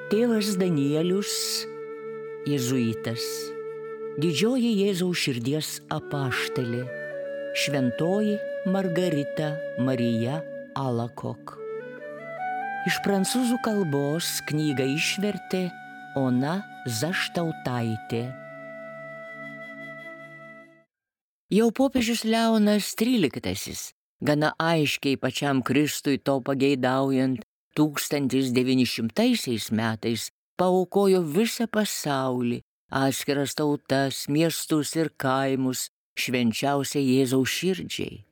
Tėvas Danielius, jėzuitas, didžioji Jėzaus širdies apaštalė, šventoji Margarita Marija Alakok. Iš prancūzų kalbos knygą išvertė Ona Zaštautaitė. Jau popiežius Leonas XIII, gana aiškiai pačiam Kristui to pageidaujant, 1900 metais paaukojo visą pasaulį, atskiras tautas, miestus ir kaimus švenčiausiai Jėzaus širdžiai.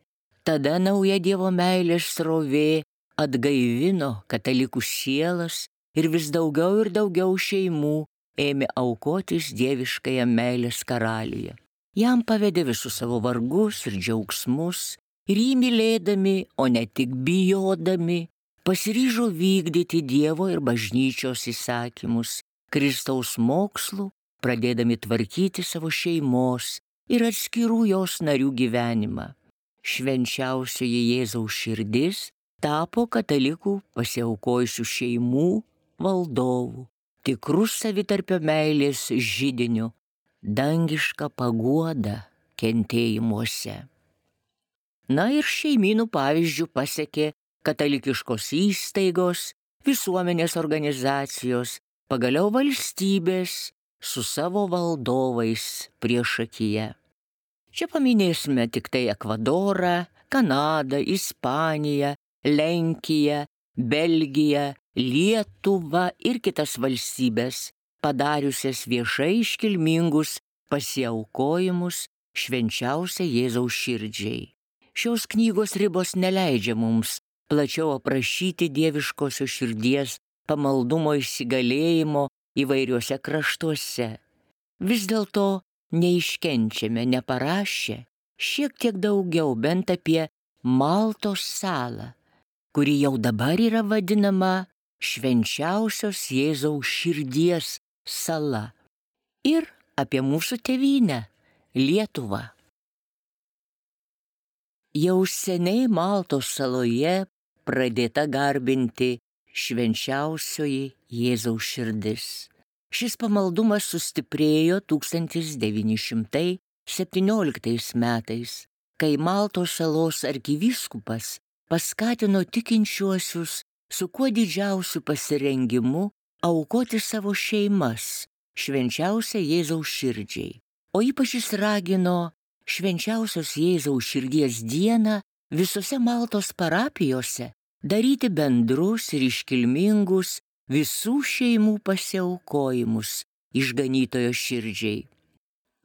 Tada nauja Dievo meilės srovė atgaivino katalikų sielas ir vis daugiau ir daugiau šeimų ėmė aukotis dieviškąją meilės karaliuje. Jam pavedė visus savo vargus ir džiaugsmus ir jį mylėdami, o ne tik bijodami, pasiryžo vykdyti Dievo ir bažnyčios įsakymus, Kristaus mokslų, pradėdami tvarkyti savo šeimos ir atskirų jos narių gyvenimą. Švenčiausioji Jėzaus širdis tapo katalikų pasiaukojusių šeimų valdovų, tikrų savitarpio meilės židiniu, dangiška paguoda kentėjimuose. Na ir šeimynų pavyzdžių pasekė katalikiškos įstaigos, visuomenės organizacijos, pagaliau valstybės su savo valdovais priešakyje. Čia paminėsime tik tai Ekvadorą, Kanadą, Ispaniją, Lenkiją, Belgiją, Lietuvą ir kitas valstybės, padariusias viešai iškilmingus pasiaukojimus švenčiausiai Jėzaus širdžiai. Šios knygos ribos neleidžia mums plačiau aprašyti dieviškosios širdies pamaldumo įsigalėjimo įvairiuose kraštuose. Vis dėlto neiškenčiame neparašę šiek tiek daugiau bent apie Maltos salą, kuri jau dabar yra vadinama švenčiausios Jėzaus širdies sala, ir apie mūsų tėvynę Lietuvą. Jau seniai Maltos saloje pradėta garbinti švenčiausioji Jėzaus širdis. Šis pamaldumas sustiprėjo 1917 metais, kai Maltos salos arkivyskupas paskatino tikinčiuosius su kuo didžiausiu pasirengimu aukoti savo šeimas švenčiausiai Jėzaus širdžiai, o ypač jis ragino švenčiausios Jėzaus širdies dieną visose Maltos parapijose daryti bendrus ir iškilmingus visų šeimų pasiaukojimus išganytojo širdžiai.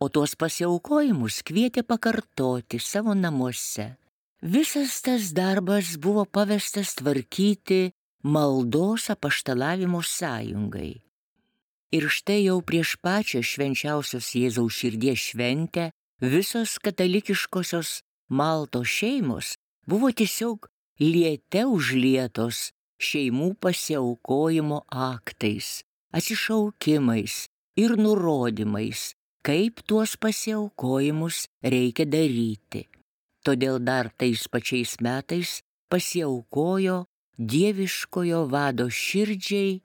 O tuos pasiaukojimus kvietė pakartoti savo namuose. Visas tas darbas buvo pavestas tvarkyti maldos apaštalavimo sąjungai. Ir štai jau prieš pačią švenčiausios Jėzaus širdies šventę visos katalikiškosios Maltos šeimos buvo tiesiog liete užlietos šeimų pasiaukojimo aktais, atsišaukimais ir nurodymais, kaip tuos pasiaukojimus reikia daryti. Todėl dar tais pačiais metais pasiaukojo dieviškojo vado širdžiai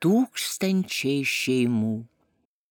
tūkstančiai šeimų.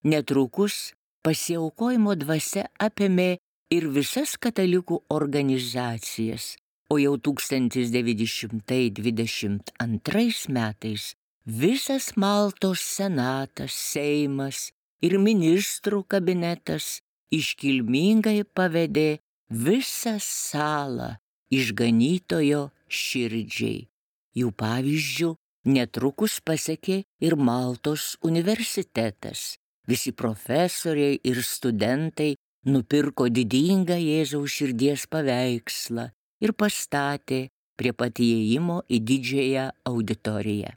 Netrukus pasiaukojimo dvasia apėmė ir visas katalikų organizacijas, o jau 1922 metais visas Maltos senatas, seimas ir ministrų kabinetas iškilmingai pavedė visą salą išganytojo širdžiai. Jų pavyzdžių netrukus pasekė ir Maltos universitetas. Visi profesoriai ir studentai nupirko didingą Jėzaus širdies paveikslą ir pastatė prie pat įėjimo į didžiąją auditoriją.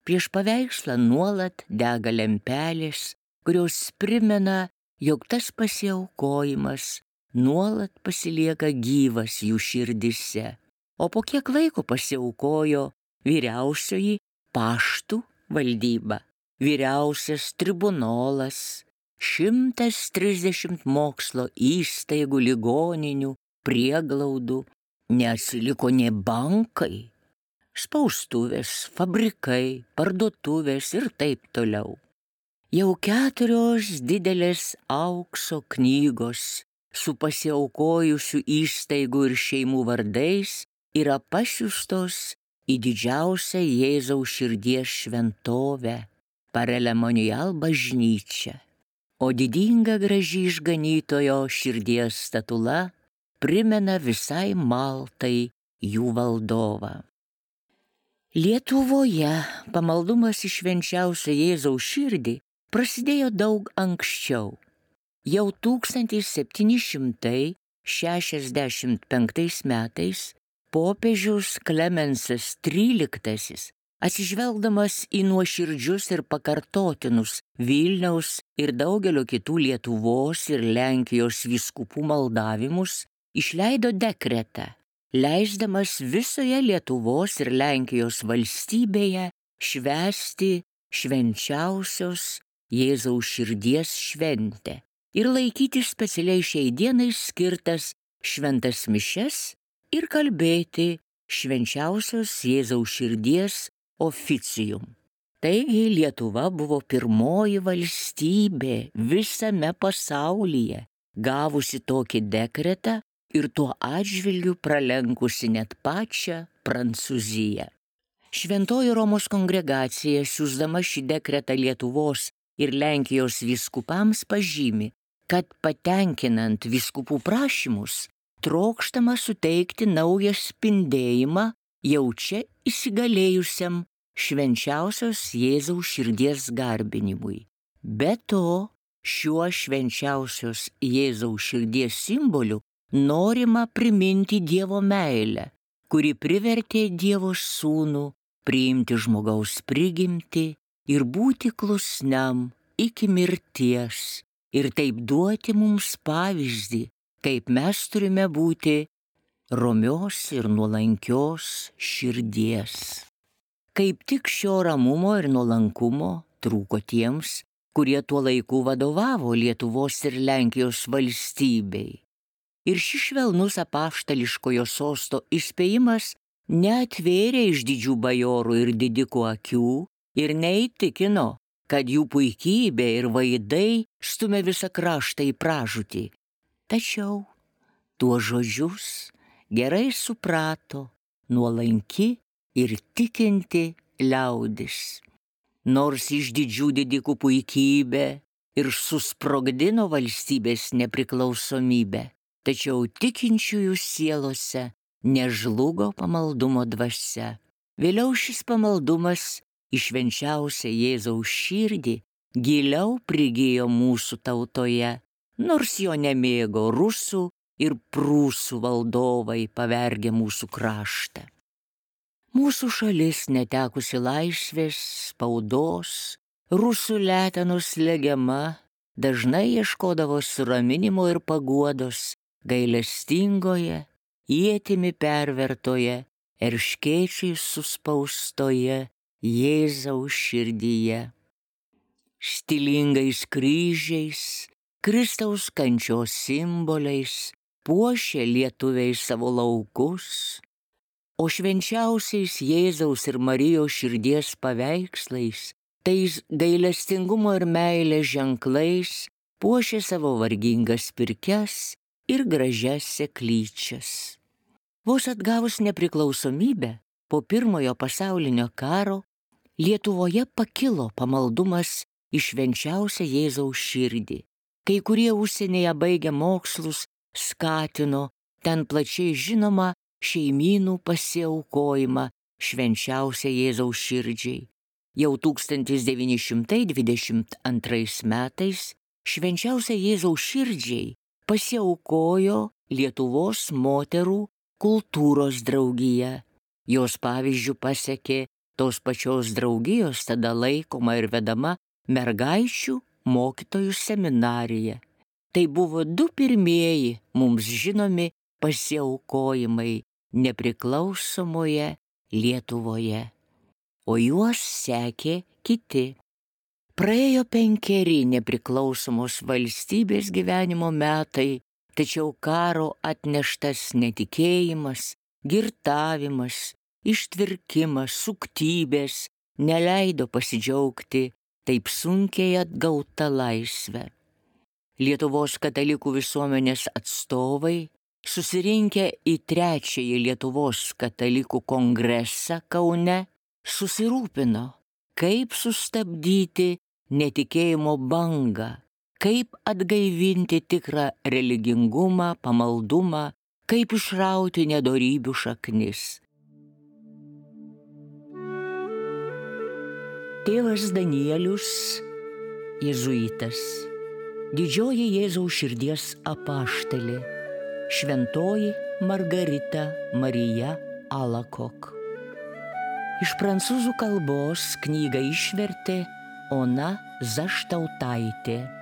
Prieš paveikslą nuolat dega lempelės, kurios primena, jog tas pasiaukojimas nuolat pasilieka gyvas jų širdise. O po kiek laiko pasiaukojo vyriausioji paštų valdyba, vyriausias tribunolas, 130 mokslo įstaigų, ligoninių, prieglaudų, neatsiliko nė bankai. spaustuvės, fabrikai, parduotuvės ir taip toliau. Jau 4 didelės aukso knygos su pasiaukojusių įstaigų ir šeimų vardais yra pasiųstos į didžiausią Jėzaus širdies šventovę, Parelemonial bažnyčią, o didinga graži išganytojo širdies statula primena visai Maltai jų valdovą. Lietuvoje pamaldumas į švenčiausią Jėzaus širdį prasidėjo daug anksčiau. Jau 1765 metais popiežius Klemensas XIII, atsižvelgdamas į nuoširdžius ir pakartotinus Vilniaus ir daugelio kitų Lietuvos ir Lenkijos vyskupų maldavimus, išleido dekretą, leisdamas visoje Lietuvos ir Lenkijos valstybėje švęsti švenčiausios Jėzaus širdies šventę ir laikyti specialiai šiai dienai skirtas šventas mišias ir kalbėti švenčiausios Jėzaus širdies oficium. Taigi Lietuva buvo pirmoji valstybė visame pasaulyje, gavusi tokį dekretą ir tuo atžvilgiu pralenkusi net pačią Prancūziją. Šventoji Romos kongregacija, siųsdama šį dekretą Lietuvos ir Lenkijos vyskupams, pažymi, kad patenkinant vyskupų prašymus, trokštama suteikti naują spindėjimą jau čia įsigalėjusiam švenčiausios Jėzaus širdies garbinimui. Be to, šiuo švenčiausios Jėzaus širdies simboliu norima priminti Dievo meilę, kuri privertė Dievo sūnų priimti žmogaus prigimtį ir būti klusniam iki mirties ir taip duoti mums pavyzdį, kaip mes turime būti romios ir nuolankios širdies. Kaip tik šio ramumo ir nuolankumo trūko tiems, kurie tuo laiku vadovavo Lietuvos ir Lenkijos valstybei. Ir šis švelnus apaštališkojo sosto įspėjimas neatvėrė iš didžių bajorų ir didikų akių ir neįtikino, kad jų puikybė ir vaidai stumia visą kraštą į pražūtį. Tačiau tuos žodžius gerai suprato nuolanki ir tikinti liaudis. Nors iš didžių didikų puikybė ir susprogdino valstybės nepriklausomybę, tačiau tikinčiųjų sielose nežlugo pamaldumo dvasia. Vėliau šis pamaldumas į švenčiausią Jėzaus širdį giliau prigijo mūsų tautoje, nors jo nemėgo rusų ir prūsų valdovai pavergę mūsų kraštą. Mūsų šalis netekusi laisvės, spaudos, rusų letenos slegiama, dažnai ieškodavo suraminimo ir paguodos gailestingoje, ietimi pervertoje, erškėčiais suspaustoje Jėzaus širdyje. Stilingais kryžiais, Kristaus kančios simboliais puošė lietuviai savo laukus, o švenčiausiais Jėzaus ir Marijos širdies paveikslais, tais gailestingumo ir meilės ženklais puošė savo vargingas pirkias ir gražias seklyčias. Vos atgavus nepriklausomybę po Pirmojo pasaulinio karo, Lietuvoje pakilo pamaldumas į švenčiausią Jėzaus širdį. Kai kurie užsienyje baigę mokslus skatino ten plačiai žinoma šeimynų pasiaukojimą švenčiausią Jėzaus širdžiai. Jau 1922 metais švenčiausią Jėzaus širdžiai pasiaukojo Lietuvos moterų kultūros draugija. Jos pavyzdžių pasekė tos pačios draugijos tada laikoma ir vedama mergaičių mokytojų seminarija. Tai buvo 2 pirmieji mums žinomi pasiaukojimai nepriklausomoje Lietuvoje, o juos sekė kiti. Praėjo 5 nepriklausomos valstybės gyvenimo metai, tačiau karo atneštas netikėjimas, girtavimas ištvirkimas, suktybės neleido pasidžiaugti taip sunkiai atgauta laisvė. Lietuvos katalikų visuomenės atstovai, susirinkę į trečiąjį Lietuvos katalikų kongresą Kaune, susirūpino, kaip sustabdyti netikėjimo bangą, kaip atgaivinti tikrą religingumą, pamaldumą, kaip išrauti nedorybių šaknis. Tėvas Danielius, jėzuitas, didžioji Jėzaus širdies apaštalė, šventoji Margarita Marija Alakok. Iš prancūzų kalbos knygą išvertė Ona Zaštautaitė.